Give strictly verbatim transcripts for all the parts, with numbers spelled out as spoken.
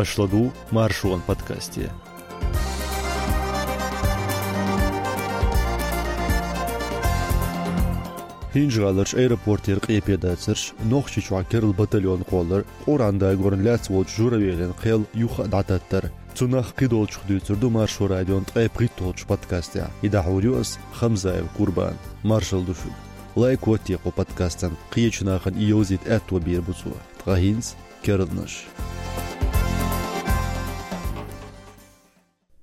Аш ла ду Маршон подкасте. ХӀинжа-ГӀаларчу аэропортера къепедацарш, Нохчийчохь керла батальон кхоллар, Къуръан дагорна лаьцна волчу Журавелин кхел юха а дӀататтар. Цунах кхидолчух дуьйцур ду Маршо радион ткъе пхийтталгӀачу подкастехь. И дӀахьур ю ас, Хамзаев Курбан. Маршалла ду шуьга. Лайк хӀотте кху подкастан, кхечу нахана и йовзийта аьтто бийр бу цо. Ткъа хӀинца керланаш.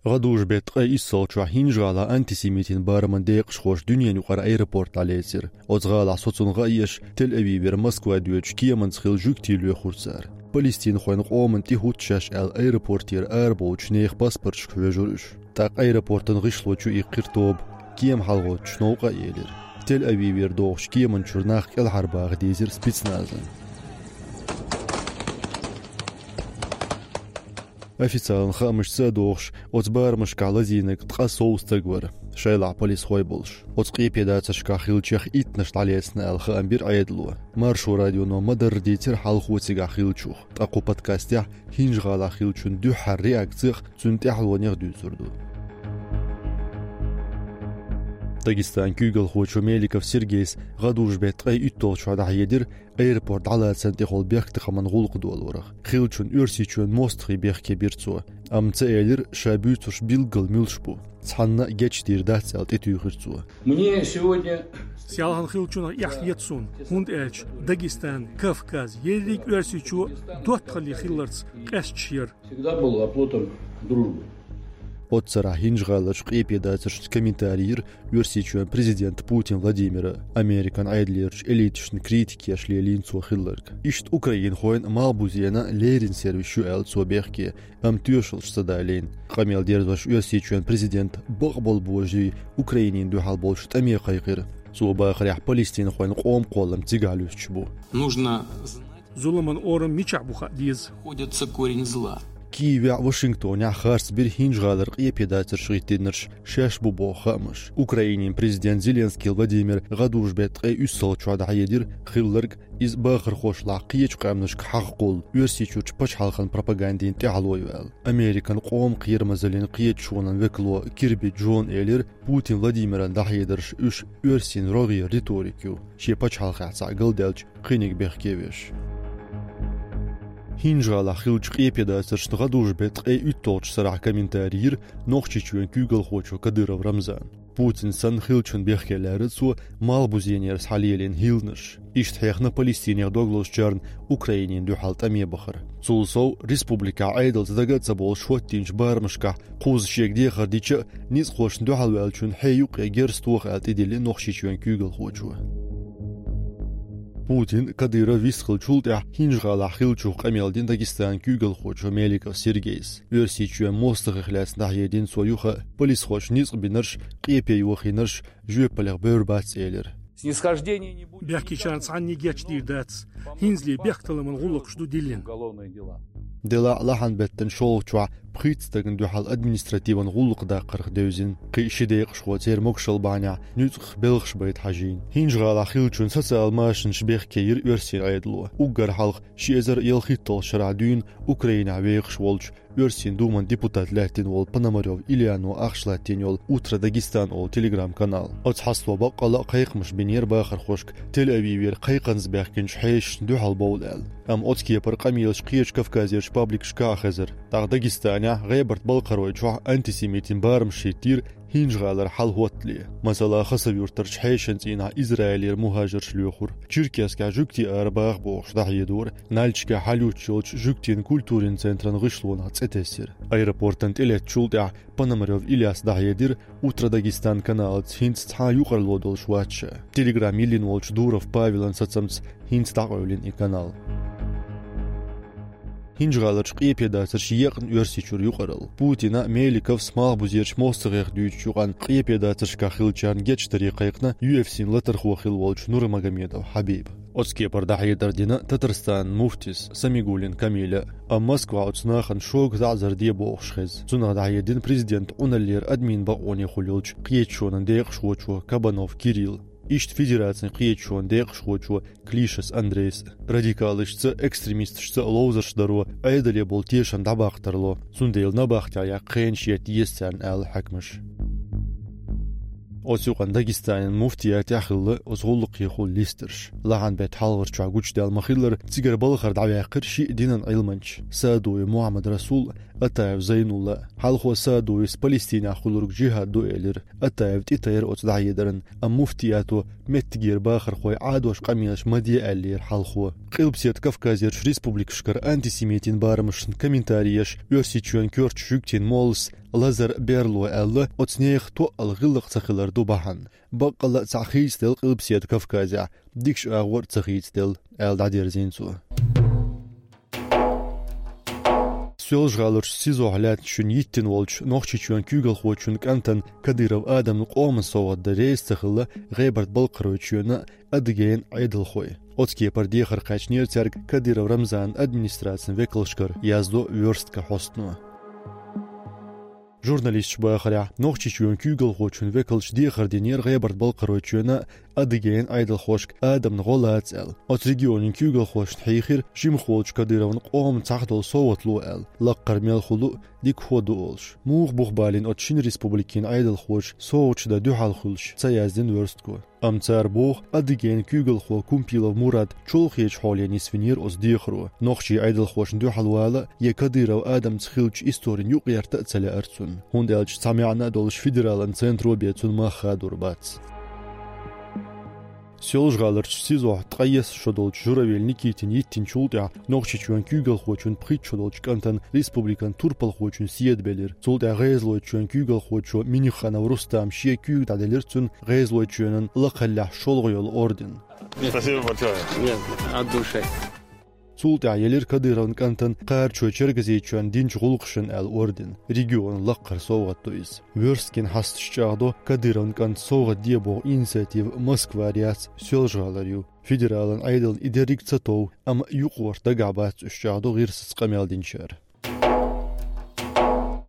ГӀадужу-беттан ткъе иссалгӀачохь ХӀинжа-ГӀалахь антисемитин бараман декъашхоша дуьненан юкъара аэропорт дӀалецира. Оцу гӀалахь соцун гӀа а еш, Тель-Авивера Москва доьдучу кеманца хилла жуьгтий лоьхура цара. Палестинхойн къоман тӀе хӀутту шаьш аьлла, аэропортера арабовлучу нехан паспорташка хьоьжура уьш. ТӀаккха аэропортан гӀишло чу иккхира тоба, кема хьалагӀоттучу новкъа а елира. Тель-Авивера догӀучу кеман чуьра нах кӀелхьарбаха дийзира спецназан. Официалан хаамашца а догӀуш, оцу барамашкахь лазийнарг ткъе сов стаг вара, шайлахь полисхой болуш. Оцу къепедацаршкахь хиллачех иттанаш дӀалецна аьлла хаам бира Ӏедало. Маршо радионо ма-дарра дийцира хьалхо цигахь хиллачух, ткъа кху подкастехь ХӀинжа-ГӀалахь хиллачун дуьххьара реакцех, цуьнан тӀаьхьалонех дуьйцур ду. Дагестанан куьйгалхочо Меликов Сергейс гӀадужу-беттан ткъе уьтталгӀачохь дӀахьедира аэропорт дӀалацарна тӀехула бехктакхаман гӀуллакх долорах. Хиллачун Оьрсийчоьнан мостагӀий бехке бира цо, амма ца элира, ша буьйцурш билггал муьлш бу. Цхьанна а гечдийр дац аьлла, тӀетуьйхира цо. Мне сегодня Селхана хиллачунах эхь еза суна, хӀунда аьлча Дагестан, Кавказ, ерриг Оьрсийчоь доттагӀалле хилларца къаьсташ яра. Всегда был оплотом дружбы. Оццарахь ХӀинжа-ГӀаларчу къепедацаршца комментари йира Оьрсийчоьнан президента Путин Владимира, Американ Ӏедалерчу элиташна критика еш лелийна цо хилларг. Иштта украинхойн а, малхбузенан а леррина сервис ю аьлла цо бехке, амма тоьшаллаш ца далийна. Къамел дерзош Оьрсийчоьнан президента бакъболу божарий Украинина дуьхьал болчу тӀаме кхайкхира. Цо бахарехь, палестинхойн къоман кхоллам цигахь луьстуш бу. Нужно знать, зуламан орам мичахь бу хаа деза. Находится корень зла. Киевехь а, Вашингтонехь а харц бира ХӀинжа-ГӀалара къепедацарш гӀиттийнарш шаьш бу боху хаамаш. Украинин президента Зеленский Владимира гӀадужу-беттан ткъе уьссалгӀачохь дӀахьедира хилларг, иза бахархошлахь кхечу къаьмнашка хьагӀ кхуллу, Оьрсийчуьрчу пачхьалкхан пропагандина тӀаьхьало ю аьлла. Американ къоман кхерамазаллин кхеташонан векало Кирби Джона элира, Путин Владимиран дӀахьедарш уьш оьрсийн рогӀера риторика ю, шен пачхьалкхехь цхьаъ галдаьлча, кхиниг бехке веш. ХӀинжа-ГӀалахь хиллачу къепедацаршна гӀадужу-беттан ткъе уьтталгӀачу сарахь комментари йира Нохчийчоьнан куьйгалхочо Кадыров Рамзана. Путин санна хиллачун бехке лаьара цо малхбузенера схьалелийна хӀилланаш. Иштта хьехна Палестинех дог лозучарна Украинина дуьхьал тӀаме бахар. Цул сов, республикехь Ӏедалца дага а ца болуш хӀоттийначу барамашкахь кхузза шега дехар дича а, ницкъахошна дуьхьалваьллачун хье юккъе герз тоха аьлла, тӀедиллина Нохчийчоьнан куьйгалхочо. Путин, Кадыров вистхиллачул тӀаьхьа ХӀинжа-ГӀалахь хиллачух къамел дина Дагестанан куьйгалхочо Меликов Сергейс. Оьрсийчоьнан мостагӀех лаьцна дӀахьедина цо юха а, полисхоша ницкъ бинарш, къепе йохийнарш жоьпаллех бевр бац элира. Снисхождения не будет. Бехкечарна цхьанне гечдийр дац. ХӀинцале бехктакхаман гӀуллакхаш ду диллина. Делахь а, лахьан беттан шолгӀачохь пхийтта стагана дуьхьал административан гӀуллакх даккхарх девзина. Кхин а ши декъашхо церан могушалла бахьанехь нуьцкъах белхаш байта хьажийна. ХӀинжа-ГӀалахь хиллачун социал машанаш бехке йира оьрсийн Ӏедало. Уггар хьалха ши эзар ялхитталгӀачу шарахь дуьйна Украинехь вехаш волчу, Оьрсийн Думан депутат лаьттина волу Пономарёв Ильяно ахча латтийна йолу «Утро Дагестан» олу телеграм-канал. Оцу хьасто баккъалла а кхайкхамаш бинера бахархошка Тель-Авивера кхайкханза баьхкинчу хьешашна дуьхьал бовла аьлла. Амма оцу кепара къамелаш кхечу Кавказерчу пабликашкахь а хезара. ТӀаккха Дагестанехь, ГӀебарта-Балкхаройчохь антисемитин барамаш хӀиттийра ХӀинжа-ГӀалара хьал хӀоттале. Масала, Хасавюртарчу хьешан цӀийнахь Израилера мухӀажарш лоьхура. Черкесскехь жуьгтий арабаха бохуш дӀахьедора. Нальчикехь хьалъюттуш йолчу жуьгтийн культурин центран гӀишлонах цӀе тесира. Аэропортан тӀелеттачул тӀаьхьа Пономарёв Ильяс дӀахьедира «Утро Дагестан» каналца, хӀинца цхьа а юкъарло долуш вац ша. Телеграм йиллина волчу Дуров Павелан сацамца хӀинца дӀакъевлина и канал. ХӀинжа-ГӀаларчу къепедацарш екъна Оьрсийчуьра юкъаралла. Путина, Меликовс, малхбузерчу мостагӀех дуьйцучу юкъанна къепедацаршкахь хиллачарна гечдаре кхайкхина ю эф си-н латархо хилла волчу Нурмагомедов Хьабиба. Оцу кепара дӀахьедар дина Татарстанан муфтис Самигуллин Камиля. Амма Москва оцу нахана шога таӀзар де бохуш хеза. Цунах дӀахьедина президентан Ӏуналлера админ бакъонехула йолчу кхеташонан декъашхочо Кабанов Кирилла. Иштта Федерацин кхеташонан декъашхочо Клишас Андрейс радикалашца, экстремисташца ловзарш даро Ӏедале болу тешам дӀабаккха тарло. Цундела набахтехь яккха кхенаш етта еза царна, аьлла хьаькамаша. Оцу юкъанна Дагестанан муфтиятехь хилла оцу гӀуллакхехула листарш. Лахьан беттан хьалхарчохь гучудаьлла ма-хиллара, цигара балхара дӀаваьккхира шиъ динан Ӏилманча: Саадуев Мухьаммад-Расул, Атаев Зайнулла. Хьалхо Саадуевс Палестинехь хуьлург жихӀад ду элира. Атаев тӀетайра оцу дӀахьедарна, амма муфтиято меттигера бахархой Ӏадош къамелаш ма де аьллера хьалхо. Къилбаседа Кавказерчу республикашкара антисемитийн барамашна комментари еш Оьрсийчоьнан коьртачу жуьгтийн моллас Лазар Берло аьлла, оцу нехан тоъал гӀиллакх ца хилар ду бахьана. Баккъалла а цхьаъ хийцаделла Къилбаседа Кавказехь, дикачу агӀор а ца хийцаделла, аьлла дӀадерзийна цо. Соьлжа-ГӀаларчу СИЗО-хь лаьттачу шуьна йиттина волчу Нохчийчоьнан куьйгалхочун кӀантана Кадыров Адамна къоман совгӀат дан реза ца хилла ГӀебарта-Балкхаройчоьнан а, Адыгейн а Ӏедалхой. Оцу кепара дехар кхаьчнера цаьрга Кадыров Рамзанан администрацин векалшкара, яздо «Вёрстка» хьостано. Журналисташа бахарехь, Нохчийчоьнан куьйгалхочун векалша дехар динера ГӀебарта-Балкхаройчоьнан а, Адыгейн а Ӏедалхошка Адамна гӀо лаца аьлла. Оцу регионийн куьйгалхошна хьийхира жимахволчу Кадыровна къоман цхьаъ долу совгӀат ло аьлла, лаккхара мел хуьлу а дика хӀо ду олуш. Муха бух балийна оцу шина республикийн Ӏедалхоша совгӀаташ дан дуьхьал хуьлуш, ца яздина «Вёрстко». Амма цара боху, Адыгейн куьйгалхо Кумпилов Мурад чолхечу хьоле нисвинера оцу дехаро. Нохчийн Ӏедалхошна дуьхьал вала я Кадыров Адамца хиллачу историн юкъаярта а ца лаьара цунна, хӀунда аьлча цхьа маьӀна а долуш федералан центро бен цунна мах хадор бац. Соьлжа-ГӀаларчу СИЗО-хь ткъе исс шо долчу Журавель Никитина йиттинчул тӀаьхьа Нохчийчоьнан куьйгалхочун пхийтта шо долчу кӀантана республикан турпалхочун седа белира. Цул тӀаьхьа ГӀезалойчоьнан куьйгалхочо Миниханов Рустама шен куьйга дӀаделира цунна ГӀезалойчоьнан лакхаллехь шолгӀа йолу орден. Спасибо большое. Нет, от души. Цул тӀаьхьа елира Кадыровн кӀантана Кхарачой-Чергазийчоьнна динчу гӀуллакхашна аьлла орден, регионан лаккхара совгӀат ду иза. «Вёрсткин» хьасташ чӀагӀдо, Кадыровн кӀанта совгӀат де боху инициатива Москвара яц, Соьлжа-ГӀалара ю. Федералан Ӏедална и дерриг ца тов, амма юкъахӀотта дагахь бац уьш, чӀагӀдо гӀирсаца къамел динчара.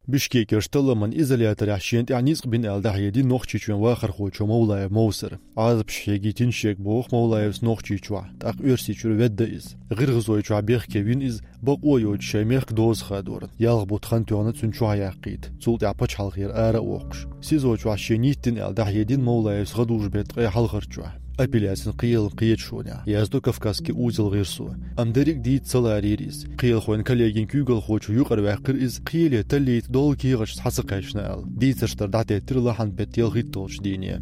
Бишкекерчу талламан изоляторехь шена тӀехь ницкъ бина аьлла дӀахьедина Нохчийчоьнан вахархочо Мовлаев Мовсара. Ӏазапаш хьегийтина шега боху Мовлаевс Нохчийчохь, тӀаккха Оьрсийчуьра ведда иза. ГӀиргӀазойчохь бехке вина иза, бакъо йоцуш шайн мехкан доза хадорна. Ялх бутт хан тоьхна цунна чохьаяккхийта, цул тӀаьхьа пачхьалкхера ара а воккхуш. СИЗО чохь шен йиттина аьлла дӀахьедина Мовлаевс гӀадужу беттан ткъе хьалхарчохь, апелляцин кхелан кхеташонехь, яздо Кавказский узел гӀирсо. Амма дерриг а дийца ца ларийра иза. Кхелахойн коллегин куьйгалхочо юкъара ваьккхира иза, кхеле таллийта долу кехаташ схьа ца кхаьчна аьлла. Дийцарш дар дӀатеттира лахьан беттан ялхитталгӀачу дийне.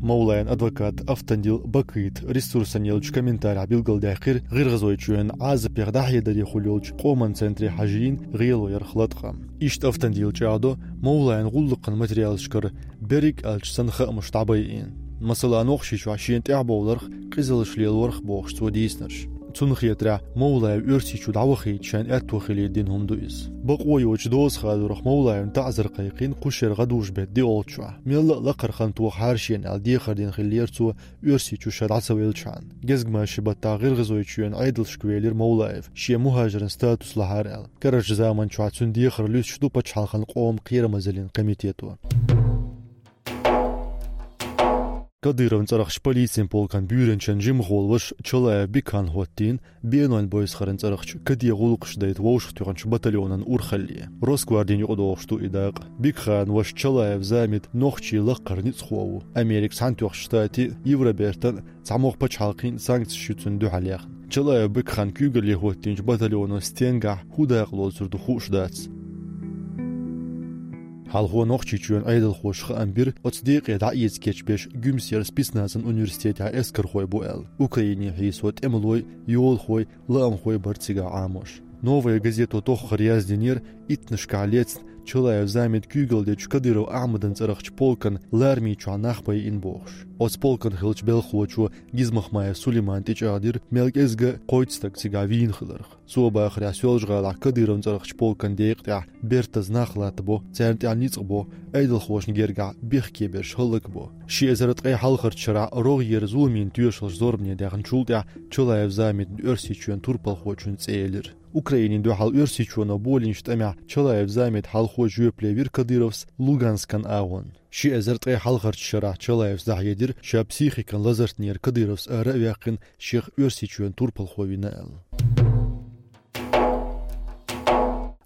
Мовлаевн адвокат Автандил Бакыт ресурсана еллачу комментарехь билгалдаьккхира ГӀиргӀазойчоьнан Ӏазапех дӀахьедаре хуьлу йолчу къоман центре хьажийна гӀело ярх латкъам. Иштта Автандила чӀагӀдо, Мовлаевн гӀуллакхан материалашкара берриг аьлча санна хаамаш дӀабайина. Масала, Нохчийчохь шена тӀаьхьабовларх, къизаллаш лелорх бохуш цо дийцинарш. Цунна хетарехь, Мовлаев Оьрсийчу дӀавахийта шайна аьтто хилийта дина хӀума ду иза. Бакъо йоцуш доза хадорах Мовлаевна таӀзар кхайкхийна кхушара гӀадужу беттан диъолчохь. Мелла а лакхара хан тоха хьара шена аьлла дехар дина хиллера цо, Оьрсийчу ша дӀа ца веллачхьана. Гезгмашин баттахь ГӀиргӀазойчоьнан Ӏедалшка велира Мовлаев, шен мухӀажиран статус лахьара аьлла. Карарчу заманчохь цуьнан дехар луьстуш ду пачхьалкхан къоман кхерамазаллин комитето. Кадыровн цӀарахчу полицин полкан буьйранчин жимахволу ваша Чалаев Бекхан хӀоттийна Бенойн Бойсхаран цӀарахчу каде гӀуллакхаш дайта вовшахтоьхначу батальонан урхалле. Росгвардин юкъадогӀуш ду и дакъа. Бекханан ваша Чалаев Замид нохчийн лакхара ницкъахо ву. Американ Цхьаьнатоьхначу Штатийн, Евробертан а, цхьамогӀа пачхьалкхийн а санкцеш ю цунна дуьхьал яьхна. Чалаев Бекхан куьйгалле хӀоттийначу батальоно стенгахь хӀун дакъа лоцур ду хууш дац. Хьалхо Нохчийчоьнан Ӏедалхоша хаам бира, оцу декъе дӀаэца кечбеш Гуьмсера спецназан университетехь эскархой бу аьлла. Украине хьийсо тӀемалой, йолахой, лаамхой бара цигахь Ӏамош. «Новая газето» тоххара яздинера, иттанашкахь лецна Чалаев Замида куьйгалла дечу Кадыров Ахьмадан цӀарахчу полкан лармий чохь нах байина бохуш. Оцу полкан хиллачу белхахочо Гизмахмаев Сулеймана тӀечӀагӀдира мел кӀезга а кхойтта стаг цигахь вийна хиларх. Цо бахарехь, Соьлжа-ГӀалахь Кадыровн цӀарахчу полкан декъа тӀехь бертаза нах латтабо, царна тӀехь ницкъ бо, Ӏедалхошна гергахь бехке берш хӀаллакбо. Ши эзар ткъе хьалхарчу шарахь рогӀера зуламийн тоьшаллаш зорбане даьхначул тӀаьхьа Чалаев Замидна Оьрсийчоьнан турпалхочун цӀе елира. Украинина дуьхьал Оьрсийчоьно болийначу тӀамехь Чалаев Замид хьалхо жоьпале вира Кадыровс Луганскан агӀонна. Ши эзар ткъе хьалхарча шерахь Чалаевс дӀахьедира, ша психикан лазартнера Кадыровс ара а ваьккхина, шех Оьрсийчоьнан турпалхо вина аьлла.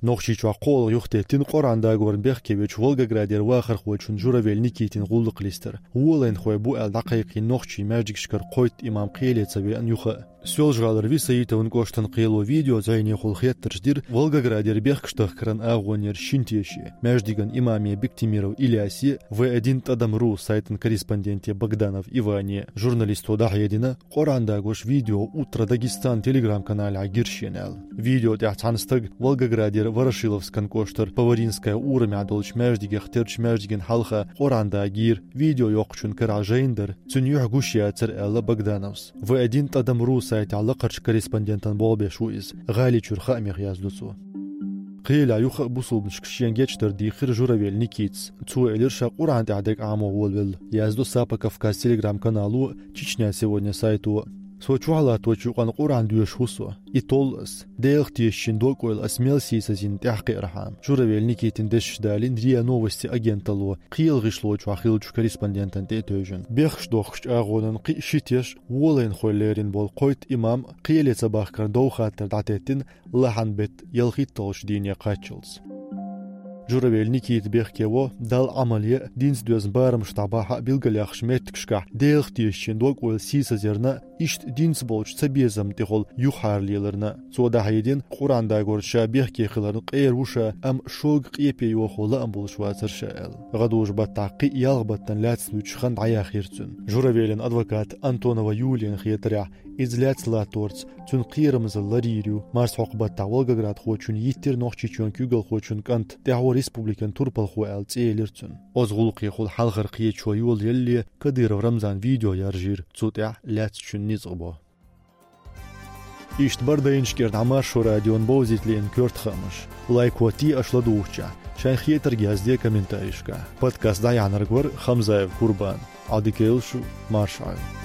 Нохчийчохь кхоалгӀа юхатеттина Къуръан дагорна бехке вечу Волгоградера вахархочун Журавель Никитин гӀуллакх листар. Волайнхой бу аьлла дӀакхайкхийна нохчийн маьждигашкара кхойтта имам кхеле ца веана юха а. Соьлжа-ГӀалара Висаитовн кӀоштан кхело видео зӀенехула хеттарш дира Волгоградера бехкаш тахкаран агӀонера шин теше, маьждиган имаме Биктимиров Илясе, В один тӀадам ру сайтан корреспонденте Богданов Иване. Журналисто дӀахьедина, Къуръан дагош видео «Утро Дагестан» телеграм-каналехь гира шена аьлла. Видео тӀехь цхьана стага Волгоградера Ворошиловскан кӀоштара Поваринская урамехь долчу маьждигех терчу маьждиган хьалха Къуръан дагийра, видео йоккхучун карахь жайна дара, цуьнан юьхь гуш яцара аьлла Богдановс. В один тӀадам ру сайтехь лакхарчу корреспондентан болх беш ву иза, ГӀаличуьра хаамех яздо цо. Кхелехь юха а бусулбанашка шен гечдар дийхира Журавель Никитас. Цо элира, ша Къуръан тӀехь дерг Ӏамо волавелла, яздо «Сапа Кавказ» телеграм-канало, «Чечня сегодня» сайто. Со чохь латточу юкъана Къуръан доьшуш ву со. И толлу ас. Делах тешачийн докъойла ас мел сийсазйина тӀаьхьакхиархьама. Журавель Никитин дешаш далийна РИА Новости агенталло кхелан гӀишло чохь хиллачу корреспондентана тӀе а тевжина. Бехкаш дохкучу агӀонан кхин а ши теш волайнхой лерина болу кхойтта имам кхеле ца бахкарна дов хаттар дӀатеттина лахьан беттан ялхитталгӀачу дийне кхаччалц. Журавель Никита бехке во, Далла Ӏамал е а, динца доьзна барамаш дӀабахьа а билгалъяхначу меттигашкахь Делах тешачийн докъойла сийсазъярна а, иштта динца болчу цабезамна тӀехула юхахьара леларна а. Цо дӀахьедина, Къуръан дагорна ша бехке хиларна къера ву ша, амма шога къепе йохо лаам болуш вацара ша аьлла. ГӀадужу-баттахь кхин а ялх баттана лаьцна вуьтуш хан дӀаяхйира цуьнан. Журавелин адвоката Антонова Юлияна хетарехь, иза лаьцна латторца цуьнан кхерамзалла ларйийр ю. Марсхьокху-баттахь волгоградхочунна йиттира Нохчийчоьнан куьйгалхочун кӀант, тӀаьхьо республикан турпалхо аьлла цӀе елира цуьнан. Оцу гӀуллакхехула хьалхара кхеташо йолаеллале Кадыров Рамзана видео яржийра, цу тӀехь лаьцначун ницкъ бо. Иштта бардайнаш кӀира дӀа Маршо радион бовзийта лиъна коьрта хаамаш. Лайк хӀоттае аша ладугӀучохь, шайн хетарг язде комментарийшкахь. Подкаст дӀаяьхьнарг вара Хамзаев Курбан. Ӏадика йойла шу, марша Ӏойла.